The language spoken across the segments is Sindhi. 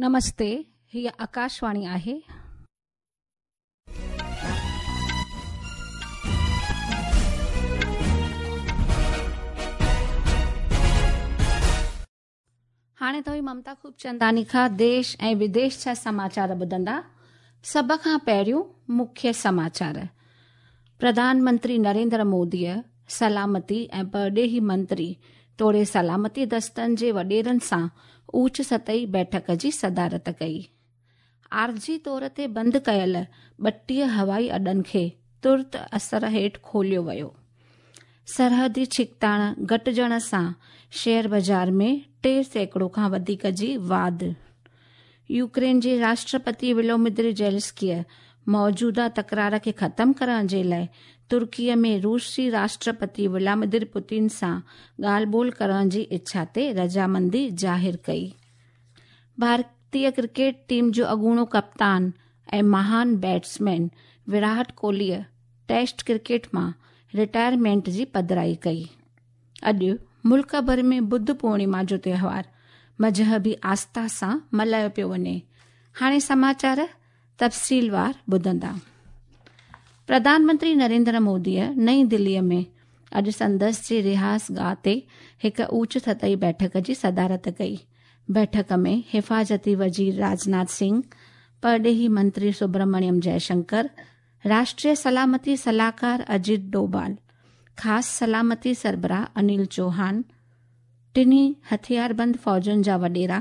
نمستي، هيء آڪاشواڻي آهي. هاڻي توهين ممتا خوبچنداني کان ديش ۽ وديش جا سماچار ٻڌندا. سڀ کان پهريون مکيه سماچار. پرڌان منتري نريندر موديء سلامتي ۽ پرڏيهي منتري توڙي سلامتي دستن جي وڏيرن سان اوچ سطحي بيٺڪ جي صدارت ڪئي. عارضي طور تي بند ڪيل 32 هوائي اڏن کي ترت اثر هيٺ کوليو ويو. سرحدي ڇڪتاڻ گهٽجڻ سان شيئر بازار ۾ 3% کان وڌيڪ جي واڌ. يوڪرين جي راشٽرپتي ولومدر زيلنسڪيء موجوده تڪرار کي ختم ڪرڻ جي لاء ترڪيء ۾ روسي راشٽرپتي ولاديمير پوتن سان ڳالهه ٻولهه ڪرڻ جي اڇا تي رضامندي ظاهر ڪئي. ڀارتي ڪرڪيٽ ٽيم جو اڳوڻو ڪپتان ۽ مهان بيٽسمين ويرات ڪوهليء ٽيسٽ ڪرڪيٽ مان رٽائرمينٽ جي پڌرائي ڪئي. اڄ ملڪ ڀر ۾ ٻڌ پورڻما جو تهوار مذهبي آسٿا سان ملهايو پيو وڃي. هاڻي سماچار تفصيلوار ٻڌندا. پرڌان منتري نريندر موديء نئين دليء ۾ اڄ سندس جي رهائش گاهه تي هڪ اوچ سطحي بيٺڪ جي صدارت ڪئي. بيٺڪ ۾ حفاظتي وزير راجناٿ سنگهه، پرڏيهي منتري سبرمڻيم جئشنڪر، راشٽريه سلامتي صلاحڪار اجيت ڊوڀال، خاص سلامتي سربراهه انيل چوهان، ٽنهي هٿياربند فوجن جا وڏيرا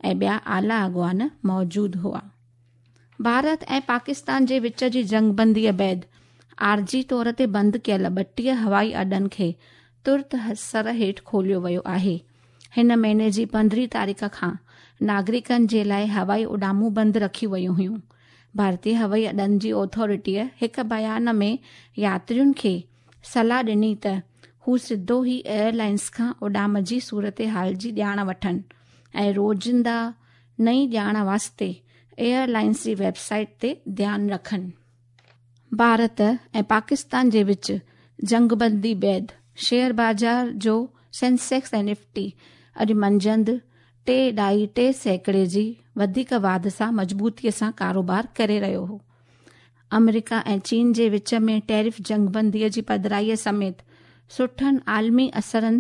۽ ٻيا اعليٰ اڳواڻ موجود هئا. ڀارت ۽ پاڪستان جي وچ جي جنگبنديء بعد عارضي طور تي بند ڪيل 32 هوائي اڏن کي ترت اثر هيٺ کوليو ويو آهي. هن مهيني جي 15 تاريخ کان ناگرڪن جي لاء هوائي اڏامون بند رکيون ويون هيون. ڀارتي هوائي اڏن جي اٿارٽيء هڪ بيان ۾ ياترين کي صلاح ڏني ته هو سڌو ئي ايئر لائنز کان اڏام جي صورتحال جي ڄاڻ وٺن ۽ روزينده نئين ڄاڻ واسطي ايئر لائنز جي ويب سائيٽ تي ڌيان رکن. ڀارت ۽ پاڪستان جي وچ جنگبندي بعد شيئر بازار جو سينسيڪس ۽ نفٽي اڄ منجهند 3.3% جي وڌيڪ واڌ سان مضبوطيء سان ڪاروبار ڪري رهيو هو. آمريڪا ۽ چين جي وچ ۾ ٽيرف جنگبنديء جي پڌرائيء سميت سٺن عالمي اثرن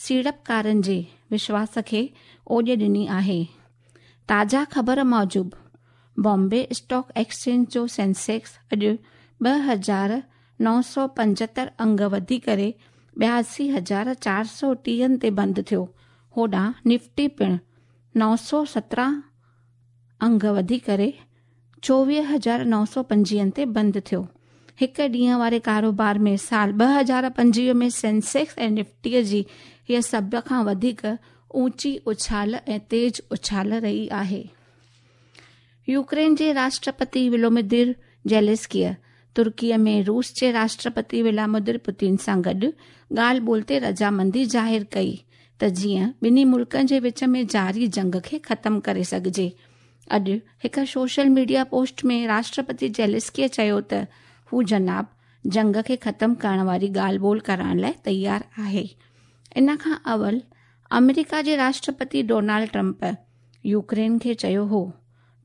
سيڙپڪارن جي وشواس کي اوڄ ڏني آهي. تازا خبر موجب بامبي اسٽاڪ ايڪسچينج جو سينسيڪس اڄ 2975 انگ وڌي ڪري 82,430 تي بند ٿيو. هوڏانهن نفٽي پڻ 917 انگ وڌي ڪري 24,925 تي بند ٿيو. هڪ ڏينهن واري ڪاروبار ۾ سال 2025 ۾ سينسيڪس ۽ نفٽيء جي هيء سڀ کان وڌيڪ اوچي اڇال ۽ تيز اڇال رهي آهي. يوڪرين جي راشٽرپتي ولومدير زيلنسڪيء ترڪيء ۾ روس جي راشٽرپتي ولاديمير پوتن سان گڏ ڳالهه ٻولهه تي رضامندي ظاهر ڪئي ته جيئن ٻنهي ملڪن جي وچ ۾ جاري جنگ کي ختم ڪري سگهجي. اڄ هڪ سوشل ميڊيا پوسٽ ۾ راشٽرپتي زيلنسڪيء چيو ته هو جناب جنگ کي ختم ڪرڻ واري ڳالهه ٻولهه ڪرڻ لاء تيار آهي. ان کان اول آمريڪا جي راشٽرپتي ڊونالڊ ٽرمپ يوڪرين کي چيو هو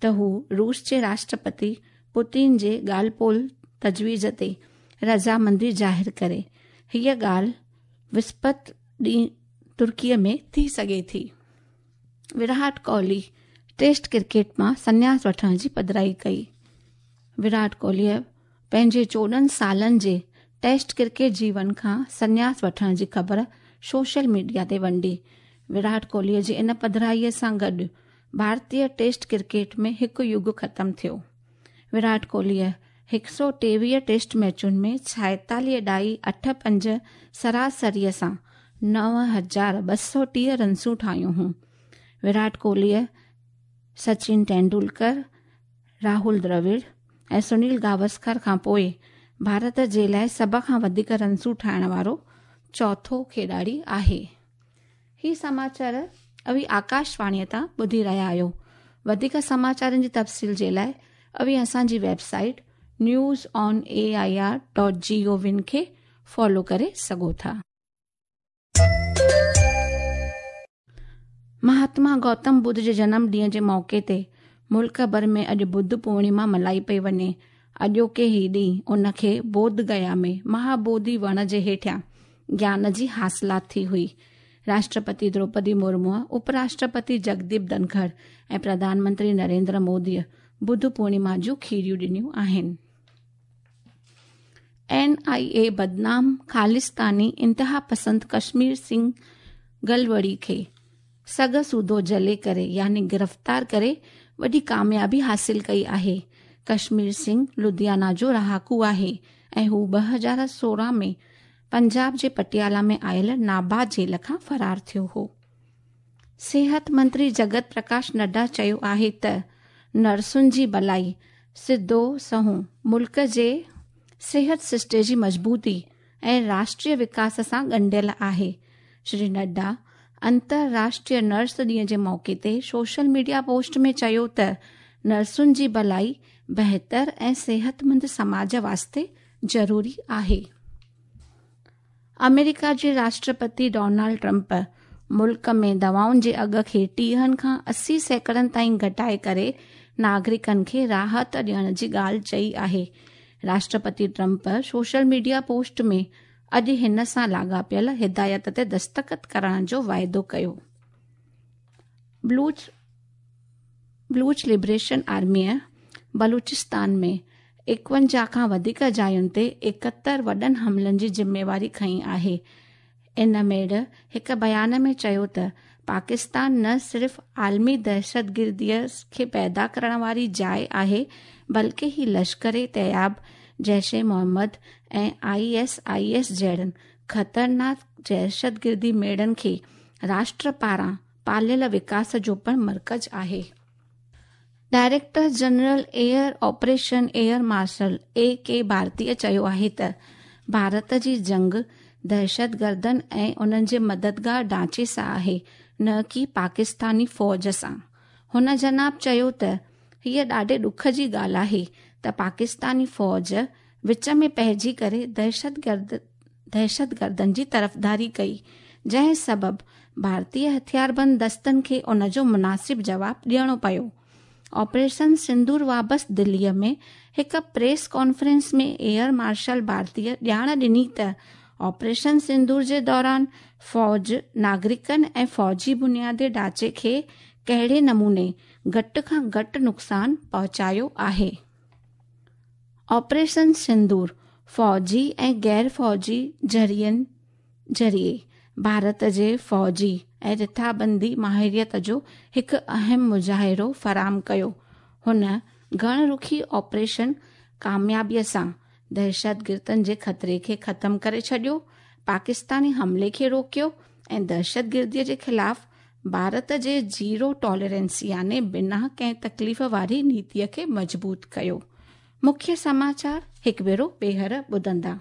ته هو روس جي راشٽرپتي پوتن جي ڳالهه ٻولهه تجويز تي رضامندي ظاهر ڪري. هيء ڳالهه وسپت ڏينهن ترڪيء ۾ ٿي سگهي ٿي. ويرات ڪوهلي ٽيسٽ ڪرڪيٽ مان سنياس وٺڻ جي پڌرائي ڪئي. ويرات ڪوهليء پنهنجي 14 سالن جي ٽيسٽ ڪرڪيٽ جيون کان سنياس وٺڻ جي خبر سوشل ميڊيا تي ونڊي. ويرات ڪوهليء جي ان پڌرائيء سان گڏ ڀارتي ٽيسٽ ڪرڪيٽ ۾ هڪ يگ ختم ٿيو. ويرات ڪوهليء 123 ٽيسٽ ميچن ۾ 46.85 سراسريء سان 9230 رنسون ٺاهيون هيون. ويرات ڪوهليء سچن ٽينڊولڪر، راهول دراوڙ ۽ سنيل گواسڪر کان پوءِ ڀارت جي لاءِ سڀ کان وڌيڪ رنسون ٺاهڻ وارو چوٿون کيڏاڙي آهي. هي سماچار اوهين آڪاشواڻيء تان ٻڌي رهيا آهيو. وڌيڪ سماچارن جي تفصيل جي لاءِ اوهين اسان جي website news on A I R dot G O V کي فالو ڪري سگهو ٿا. مهاتما گوتم ٻڌ جي جنم ڏينهن جي موقعي تي ملڪ ڀر ۾ اڄ ٻڌ پورڻما ملهائي پئي وڃي. اڄوڪي هي ڏينهن ان کي بوڌ گيا ۾ مهابوڌي وڻ جي هيٺيان گيان جي حاصلات ٿي هئي. راشٽرپتي دروپدي مرموء، اپراشٽرپتي جگديپ ڌنکڙ ۽ پرڌان منتري نريندر موديء ٻڌ پورڻما جون کيريون ڏنيون آهن. اين آء اي بدنام خالصتاني انتهاپسند ڪشمير سنگهه گلوڙي کي سگهه سوڌو جهلي ڪري يعني گرفتار ڪري وڏي ڪاميابي حاصل ڪئي آهي. ڪشمير سنگهه لڌيانا جو رهاڪو آهي ۽ هو 2016 ۾ پنجاب جي پٽيالا ۾ آيل نابا جيل کان فرار ٿيو هو. صحت منتري جگت پرڪاش نڊا چيو آهي ته نرسن جي ڀلائي سڌو سنئون ملڪ جي صحت سرشتي جي مضبوطي ۽ راشٽريه وڪاس سان ڳنڍيل آهي. شري نڊا انترراشٽريه نرس ڏينهن جي موقعي تي سوشل ميڊيا پوسٽ ۾ چيو ته نرسن جي ڀلائي بهتر ۽ صحتمند سماج واسطي ضروري آهي. آمريڪا جي راشٽرپتي ڊونلڊ ٽرمپ ملڪ ۾ دوائن جي اگهه کي 30 کان 80 سيڪڙن تائين گهٽائي ڪري ناگرڪن کي راحت ڏيڻ جي ڳالهه چئي آهي. Rashtrapati Trump social media post ۾ اڄ هن سان لاڳاپيل هدايت تي دستخط ڪرڻ جو واعدو ڪيو. بلوچ لبريشن آرميء بلوچستان ۾ 51 کان وڌيڪ جاين تي 71 وڏن حملن جي ذميواري کنئي آهي. ان ميڙ هڪ بيان ۾ چيو ته پاڪستان نه صرف عالمي دهشتگرديء کي پيدا ڪرڻ واري جاء آهي بلڪه هي Lashkar Taiba, Jaish Muhammad ۽ I S I S جهڙن خطرناڪ دهشتگردي ميڙن کي راشٽر پاران پاليل وڪاس جو پڻ مرڪز آهي. Director general air operation air marshal A K Bharti چيو آهي ته ڀارت جي جنگ دهشتگردن ۽ انهن جي مددگار ڍانچي سان آهي نه ڪي پاڪستاني فوج سان. هن جناب چيو ته هيء ڏاڍي ڏک جي ڳالهه آهي ته پاڪستاني فوج وچ ۾ پئجي ڪري دهشتگردن جي طرفداري ڪئي، جنهن سبب ڀارتي هٿياربند دستن کي ان جو مناسب جواب ڏيڻو پيو. آپريشن سندور وابست دليء ۾ هڪ پريس ڪانفرنس ۾ ايئر مارشل ڀارتيء ڄاڻ ڏني ته آپريشن سندور جي دوران فوج ناگرڪن ۽ فوجي بنيادي ڍانچي کي ڪهڙي نموني گهٽ کان گهٽ نقصان پهچايو آهي. آپريشن سندور فوجي ۽ غير فوجي ذريعن ذريعي ڀارت جي فوجي ۽ رٿابندي ماهريت جو هڪ اهم مظاهرو فراهم ڪيو. هن گهڻ رخي آپريشن ڪاميابيء سان دهشتگردن جي خطري کي ختم ڪري ڇڏيو، پاڪستاني حملي کي روڪيو ۽ دهشتگرديء جي خلاف ڀارت جي زيرو ٽالرنس يعني بنا ڪنهن تڪليف واري نيتيء کي مضبوط ڪيو. مکيه سماچار هڪ ڀيرو ٻيهر ٻڌندا.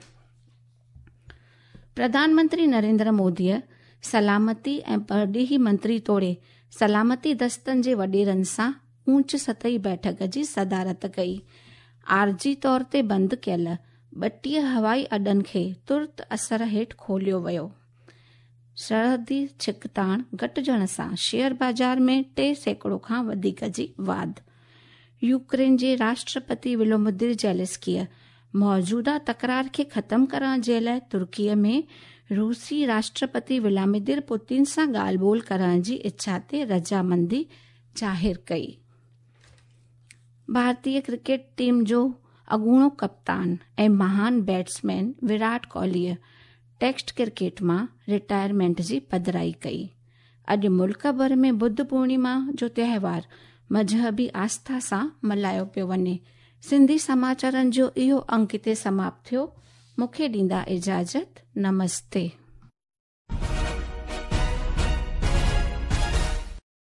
پرڌان منتري نريندر موديء سلامتي ۽ پرڏيهي منتري توڙي سلامتي دستن جي وڏيرن سان اوچ سطحي بيٺڪ جي صدارت ڪئي. عارضي طور تي بند ڪيل 32 هوائي اڏن کي ترت اثر هيٺ کوليو ويو. سرحدي ڇڪتاڻ گهٽجڻ سان شيئر بازار ۾ 3% کان وڌيڪ جي واڌ. يوڪرين جي راشٽرپتي ولومدير زيلنسڪيء موجوده تڪرار کي ختم ڪرڻ جي لاء ترڪيء ۾ روسي راشٽرپتي ولاديمير پوتين سان ڳالهه ٻولهه ڪرڻ جي اڇا تي رضامندي ظاهر ڪئي. ڀارتي ڪرڪيٽ ٽيم جو اڳوڻو ڪپتان ۽ مهان بيٽسمين ويرات ڪوهليء ٽيسٽ ڪرڪيٽ مان رٽائرمينٽ جي پڌرائي ڪئي. اڄ ملڪ ڀر ۾ ٻڌ پورڻما جو تهوار مذهبي آسٿا سان ملهايو پيو وڃي. سنڌي سماچارن جو اهو انڪ هتي سماپت ٿيو. مون کي ڏيندا اجازت. نمستي.